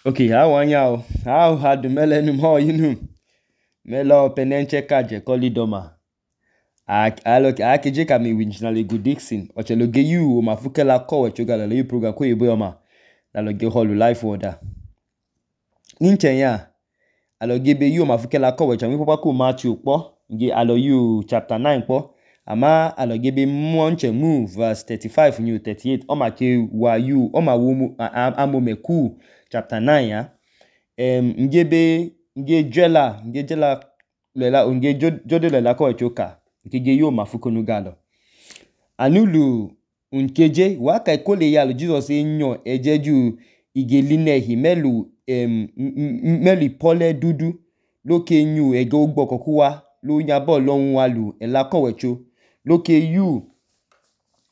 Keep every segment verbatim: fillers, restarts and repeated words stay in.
Okay, how are you? How had the melon more you know? Melo penenche kaje kolidoma. Aloke akeje kami winjinale good Dixon. Ocheloge you mafuke la kowe chogala le program ko yebo yoma. Aloge holu life order. Ninchen ya. Aloge be you mafuke la kowe chami papa ko Matthew po. Nge alo you chapter nine po. Ama aloge be monche move verse thirty-five new thirty-eight. Oma ke wa you oma wo amome ku chapter nine ya. Um, nge be nge jela nge jela lela nge jode lela ko choka nke ge yo mafuko no galo anulu unkeje wa kai kole ya lo Jesus enyo ejeju igeline hi melu um melu pole dudu loke nyu ege ogbo kokuwa lo yabo lohun walu ela kowecho loke yu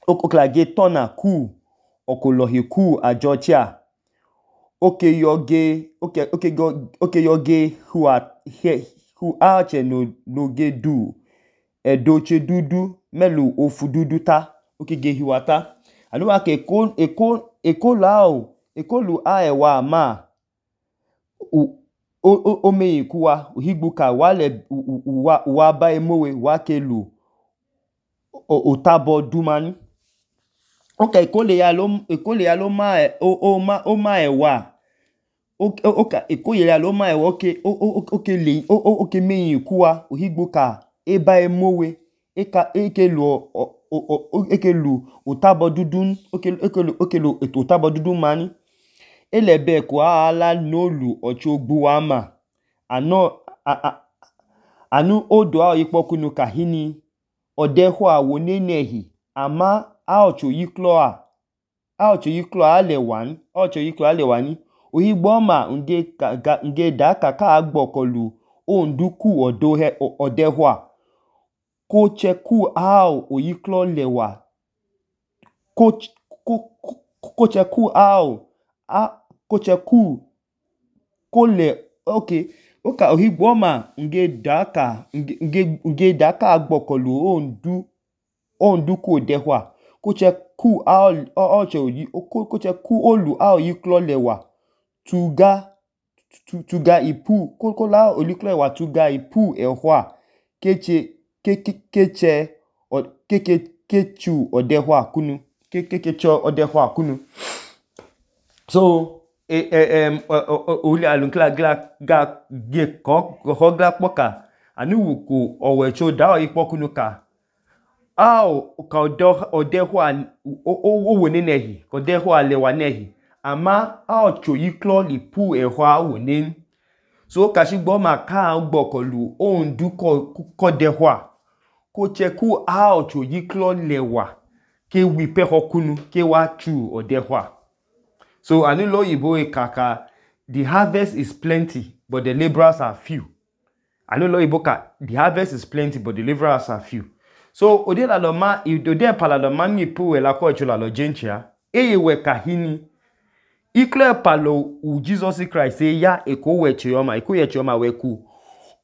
okokla ge tona ku okolohi ku ajochia okay yoge okay okay go okay yoge who are here who are no no ge do edoche dudu melu ofu dudu ta okay ge hiwata anu wa ke ko eko eko lao eko lu a ewa ma o o o me ikuwa ohigbuka wale wa wa ba emowe wa ke lu otabo dumani okay eko le ya lo eko le ya lo ma o o ma o ma ewa okay okay eko le ya lo ma ewa okay okay le okay me ikuwa ohigbuka eba emowe eka eke lu eke lu otabo dudun okay eke lu eke lu otabo dudun mani elebe ko ala nolu ochogbu ama ano anu odo a ipokunu kahini odeho awo nenehi ama a ocho yiklo a a ocho yiklo a le wan a ocho yiklo a le wani ohigbo ma nge nge da kaka agbokolu onduku odo he odeho a ko cheku ao oyiklo lewa ko ko ko cheku ao a ko cheku ko le okay oka ohigbo ma nge daka nge nge daka agbokolu ondu onduku odeho a ko cheku ao oche oyi ko cheku olu ao yiklo lewa tuga tuga ipu ko ko la oliklo lewa tuga ipu eho a keche keche keke kechu odeho akunu kekecho odeho akunu so eh um oli alunkla gla ga ge ko hogla poka anu wuku owecho da ipokunu ka ao ka odo odeho owo nenehi odeho alewa nehi ama ao cho yiklo lipu eho awo nen so kashigbo ma ka gbokolu onduko kodeho a ko cheku a ocho yiklo lewa ke wipe hokunu ke wa chu odehwa so anilo yibo kaka the harvest is plenty but the laborers are few anilo yibo ka the harvest is plenty but the laborers are few so odela lo ma ode pala lo ma ni pu ela ko chula lo jenchia eyewe kahini ikle palo u Jesus Christ e ya eko weche yoma eko yeche yoma weku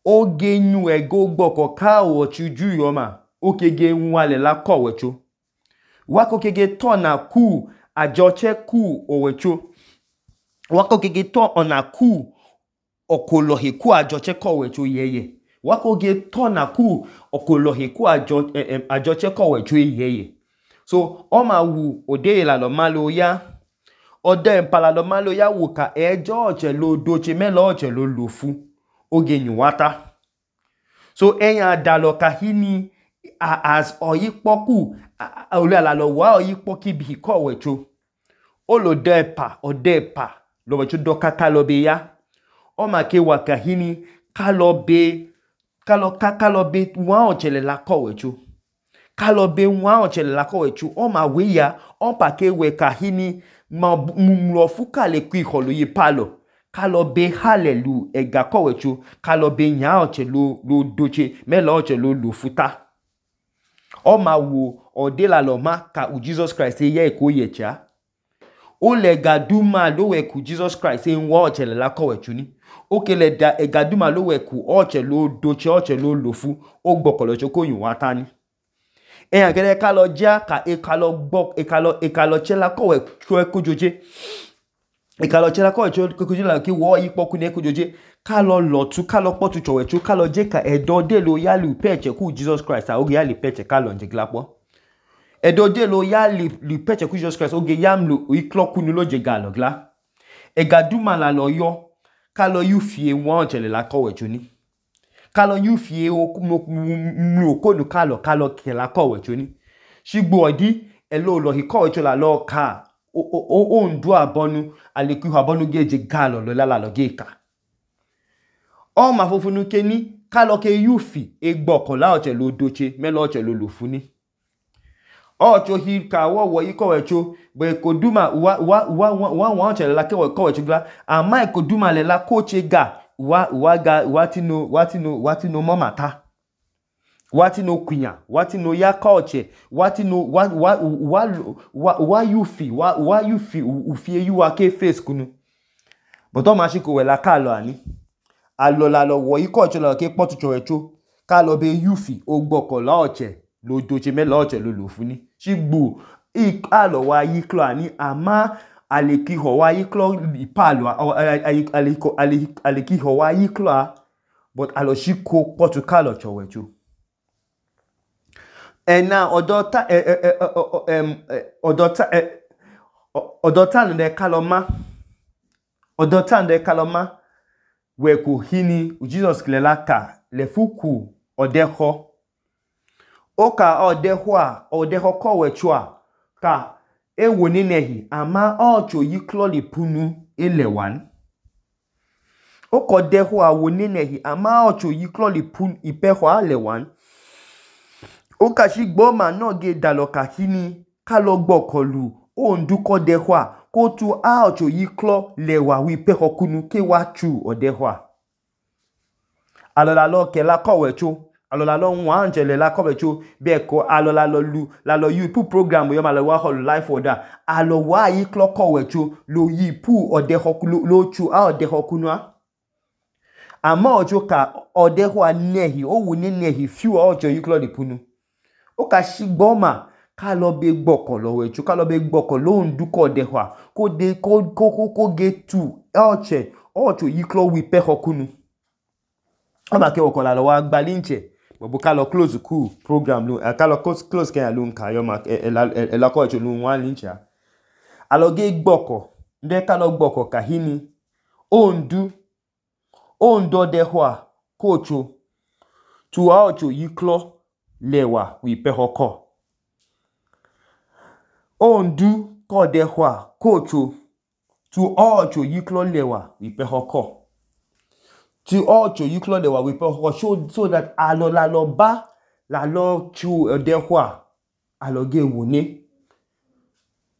oge nyu ego gboko ka o chuju yoma okege nwale la kowecho wako kege to na ku ajoche ku owecho wako kege to ona ku okolohi ku ajoche kowecho yeye wako ge to na ku okolohi ku ajo eh, ajoche kowecho yeye so oma wu ode la lo malo ya ode mpala lo malo ya wu ka ejo oche lo doche melo oche lo lofu oge nyuwata so enya dalo kahini as oyipoku oli ala lo wa oyipoki bi ko wecho olo depa odepa lo wecho do kaka lo be ya o ma ke wa kahini kalo be kalo kaka lo be wa ochele la ko wecho kalo be wa ochele la ko wecho o ma we ya o pa ke we kahini ma mlo fuka le ku iholo yi palo kalo be hallelu ega ko wecho kalo be nya oche lo lo doche melo oche lo lo futa o ma wo ode la lo ma ka u Jesus Christ e ye ko yecha o le gaduma lo we ku Jesus Christ e nwa oche le la ko wecho ni o ke le da e gaduma lo we ku oche lo doche oche lo lofu o gbokolo cho ko yun wa tani e agere ka lo ja ka e ka lo gbo e ka lo e ka lo che la ko we ko joje Ikalo chela ko echo kokoje la ki wo yipo ku ne kojoje kalo lotu kalo potu chowechu kalo je ka edo de lo ya li peche ku Jesus Christ a oge ya li peche kalo nje glapo edo de lo ya li li peche ku Jesus Christ oge yam lo iklo kunu lo je galo gla ega duma la lo yo kalo yu fie won chele la ko wechu ni kalo yu fie o mu ko nu kalo kalo ke la ko wechu ni shigbo odi elo lo hi ko wechu la lo ka o o o ndu abonu aleku abonu geje galo lo la la lo geka o ma fofunu keni kalo ke yufi egboko la oche lo doche me lo oche lo lofuni ocho hi ka wo wo iko wecho be koduma wa wa wa wa wa oche la ke ko wecho gla ama koduma le la koche ga wa wa ga watino watino watino momata watino kunya watino ya koche watino wa wa wa wa yufi wa wa yufi ufie yu ake face kunu but o ma shiko we la kalo ani alo la lo wo iko oche la ke potu chowecho kalo be yufi ogboko la oche lo doche me la oche lo lofuni shigbo ik alo wa yiklo ani ama aleki ho wa yiklo ipalo aliko aleki ho wa yiklo but alo shiko potu kalo chowecho ena odota em odota odota nde kaloma odota nde kaloma we ko hini Jesus klela ka le fuku odeho oka odeho a odeho ko wechua ka ewo ninehi ama ocho yiklo lipunu elewan oko deho a wo ninehi ama ocho yiklo lipun ipeho alewan oka shigbo ma no ge daloka hini kalo gbokolu o nduko deho a ko tu a ocho yiklo lewa wi peho kunu ke wa chu odeho a alola lo ke la ko wecho alola lo nwa njele la ko wecho be ko alola lo lu la lo yu pu program yo ma lo wa hol life order alo wa yiklo ko wecho lo yi pu odeho lo chu a odeho kunu a ama ocho ka odeho a nehi o wu ni nehi fiu ocho yiklo lipunu oka shigbo ma kalo be gboko lo wecho kalo be gboko lo nduko deho a ko de ko ko ko get tu oche ocho yiklo wi peho kunu ama ke okola lo wa gbalinche bobo kalo close ku program lo kalo close ke lo nka yo ma e la ko echo lo wan lincha aloge gboko nde kalo gboko ka hini ondu ondo deho a kocho tu a ocho yiklo lewa wi peho ko ondu ko deho a kocho tu ocho yiklo lewa wi peho ko tu ocho yiklo lewa wi peho ko so, so that alo la lo ba la lo chu deho a aloge wone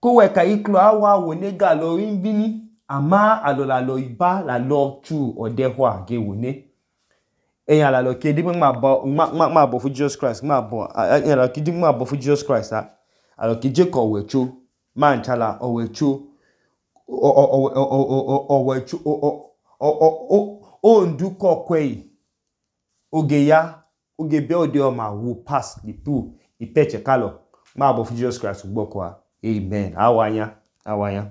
ko we ka yiklo awa wone ga lo invini ama alo la lo iba la lo chu odeho a ge wone eyan la lo ke di ma bo ma ma bo fu Jesus Christ ma bo eyan la ke di ma bo fu Jesus Christ a alo ke je ko wecho ma nchala o wecho o o o o o wecho o o o o nduko kwei oge ya oge be ode o ma wu pass the two ipeche kalo ma bo fu Jesus Christ gboko a amen awanya awanya